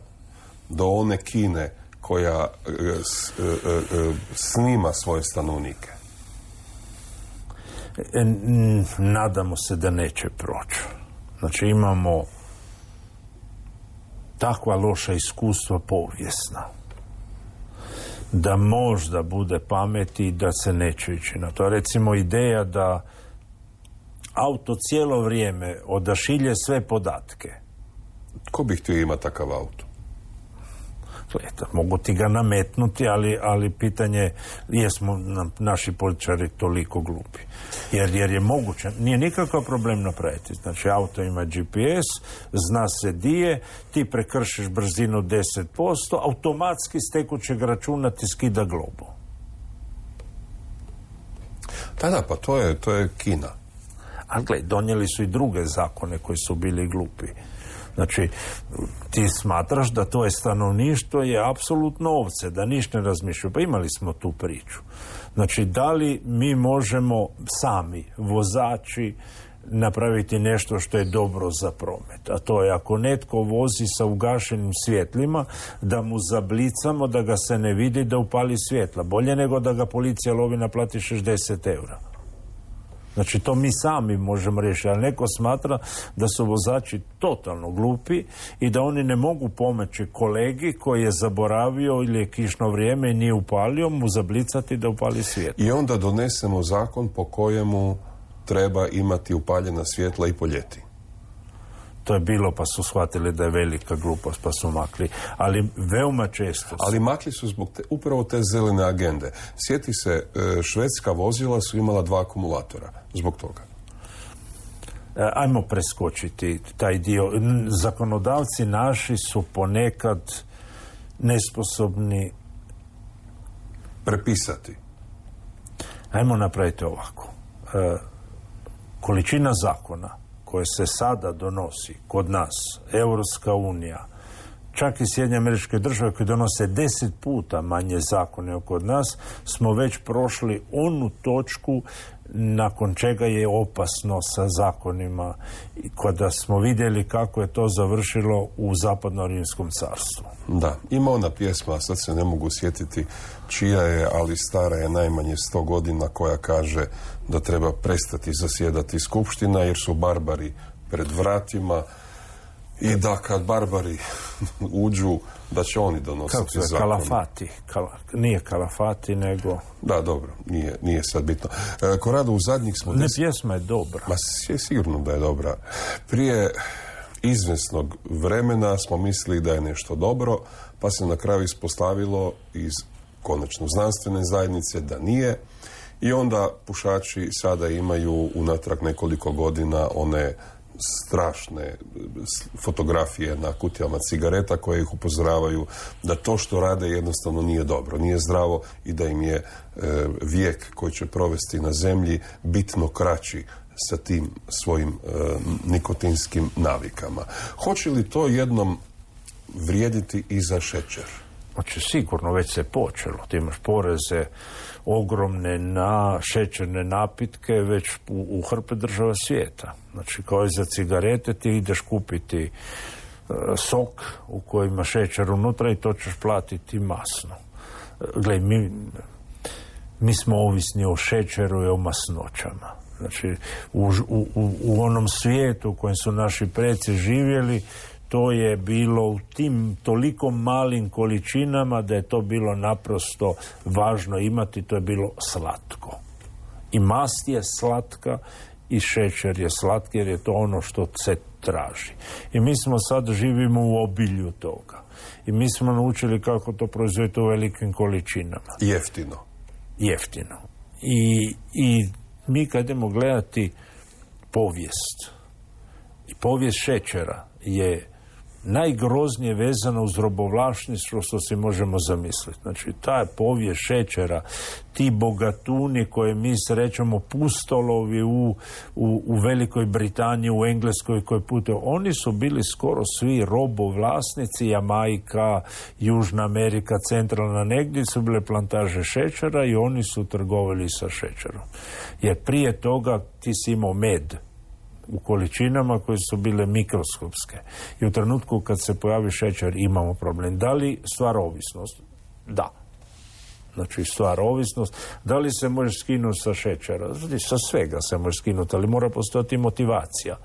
do one Kine koja e, s, e, e, snima svoje stanovnike. Nadamo se da neće proći. Znači imamo takva loša iskustva povijesna da možda bude pameti da se neće ići na to. Recimo ideja da auto cijelo vrijeme odašilje sve podatke. Ko bi htio imati takav auto? Gleda, mogu ti ga nametnuti, ali, ali pitanje jesmo naši političari toliko glupi. Jer, jer je moguće, nije nikakav problem napraviti. Znači, auto ima G P S, zna se di je, ti prekršiš brzinu deset posto, automatski s tekućeg računa ti skida globu. Da, da, pa to je, to je Kina. A gle, donijeli su i druge zakone koji su bili glupi. Znači, ti smatraš da to je stanovništvo je apsolutno ovce, da ništa ne razmišljaju. Pa imali smo tu priču. Znači, da li mi možemo sami, vozači, napraviti nešto što je dobro za promet? A to je ako netko vozi sa ugašenim svjetlima, da mu zablicamo, da ga se ne vidi, da upali svjetla. Bolje nego da ga policija lovi, naplati šezdeset eura. Znači, to mi sami možemo riješiti, ali neko smatra da su vozači totalno glupi i da oni ne mogu pomoći kolegi koji je zaboravio ili je kišno vrijeme i nije upalio, mu zablicati da upali svjetlo. I onda donesemo zakon po kojemu treba imati upaljena svjetla i po ljeti. To je bilo, pa su shvatili da je velika glupost, pa su makli. Ali veoma često su. Ali makli su zbog te, upravo te zelene agende. Sjeti se, švedska vozila su imala dva akumulatora zbog toga. Ajmo preskočiti taj dio. Zakonodavci naši su ponekad nesposobni prepisati. Ajmo napraviti ovako. E, količina zakona koje se sada donosi kod nas, Europska unija, čak i Sjedinjene Američke Države koje donose deset puta manje zakone kod nas, smo već prošli onu točku nakon čega je opasno sa zakonima, kada smo vidjeli kako je to završilo u Zapadno-Rimskom carstvu. Da, ima ona pjesma, sad se ne mogu sjetiti čija je, ali stara je najmanje sto godina, koja kaže da treba prestati zasjedati skupština jer su barbari pred vratima i da kad barbari uđu, da će oni donositi zakon. Kako se, kalafati. Kala, nije kalafati, nego... Da, dobro, nije, nije sad bitno. E, Korado, u zadnjih smo... Ne, des... pjesma je dobra. Ma, je sigurno da je dobra. Prije izvjesnog vremena smo mislili da je nešto dobro, pa se na kraju ispostavilo iz konačno znanstvene zajednice da nije. I onda pušači sada imaju unatrag nekoliko godina one strašne fotografije na kutijama cigareta koje ih upozoravaju da to što rade jednostavno nije dobro, nije zdravo i da im je e, vijek koji će provesti na zemlji bitno kraći sa tim svojim e, nikotinskim navikama. Hoće li to jednom vrijediti i za šećer? Znači, sigurno već se počelo. Ti imaš poreze ogromne na šećerne napitke već u, u hrpe država svijeta. Znači, kao i za cigarete ti ideš kupiti e, sok u kojima ima šećer unutra i to ćeš platiti masno. E, Gle, mi, mi smo ovisni o šećeru i o masnoćama. Znači, u, u, u onom svijetu u kojem su naši preci živjeli, to je bilo u tim toliko malim količinama da je to bilo naprosto važno imati, to je bilo slatko. I mast je slatka i šećer je slatki jer je to ono što se traži. I mi smo sad živimo u obilju toga. I mi smo naučili kako to proizvoditi u velikim količinama. Jeftino. Jeftino. I, i mi kad idemo gledati povijest, i povijest šećera je najgroznije vezano uz robovlasništvo što si možemo zamisliti. Znači, ta je povijest šećera, ti bogatuni koje mi srećemo, pustolovi u, u, u Velikoj Britaniji, u Engleskoj koji putuju, oni su bili skoro svi robovlasnici, Jamajka, Južna Amerika, centralna, negdje su bile plantaže šećera i oni su trgovali sa šećerom. Jer prije toga ti si imao med u količinama koje su bile mikroskopske. I u trenutku kad se pojavi šećer imamo problem. Da li stvara ovisnost? Da. Znači, stvara ovisnost. Da li se može skinuti sa šećera? Znači, sa svega se može skinuti, ali mora postojati motivacija.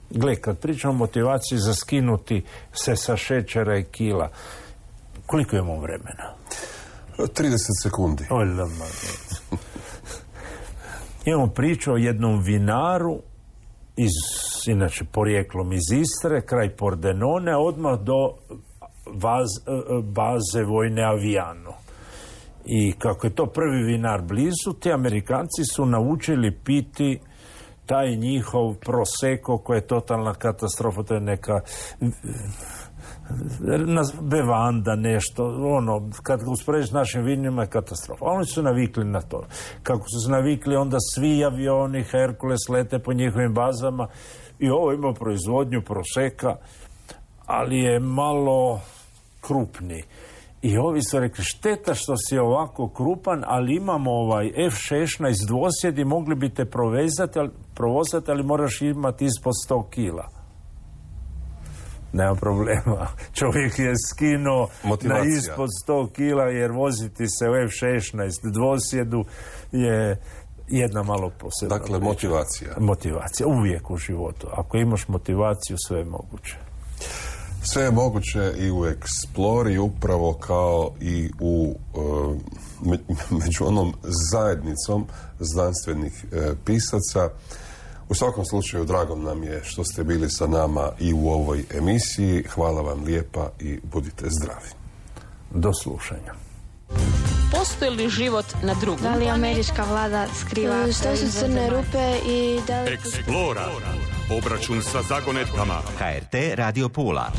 Gle, kad pričamo o motivaciji za skinuti se sa šećera i kila, koliko imamo vremena? trideset sekundi. Oljama. Imamo priču o jednom vinaru, iz, inače porijeklom iz Istre, kraj Pordenone, odmah do baz, baze vojne Aviano. I kako je to prvi vinar blizu, ti Amerikanci su naučili piti taj njihov prosecco koji je totalna katastrofa, to je neka bevanda, nešto, ono, kad ga usporediš s našim vinima je katastrofa. Oni su navikli na to. Kako su se navikli, onda svi avioni, Herkules lete po njihovim bazama i ovo ima proizvodnju proseka, ali je malo krupni. I ovi su rekli, šteta što si ovako krupan, ali imamo ovaj F šesnaest dvosjed i mogli bi te provezati, ali, provozati, ali moraš imati ispod sto kila. Nema problema. Čovjek je skinuo na ispod sto kila, jer voziti se u F šesnaest dvosjedu je jedna malo posebna. Dakle, motivacija. Motivacija, uvijek u životu. Ako imaš motivaciju, sve je moguće. Sve je moguće i u Explori, upravo kao i u e, među onom zajednicom znanstvenih e, pisaca. U svakom slučaju, drago nam je što ste bili sa nama i u ovoj emisiji. Hvala vam lijepa i budite zdravi. Do slušanja. Postoji li život na drugom? Da li američka vlada skriva Što su crne rupe i da li... Explora. Obračun sa zagonetkama. H R T Radio Pula.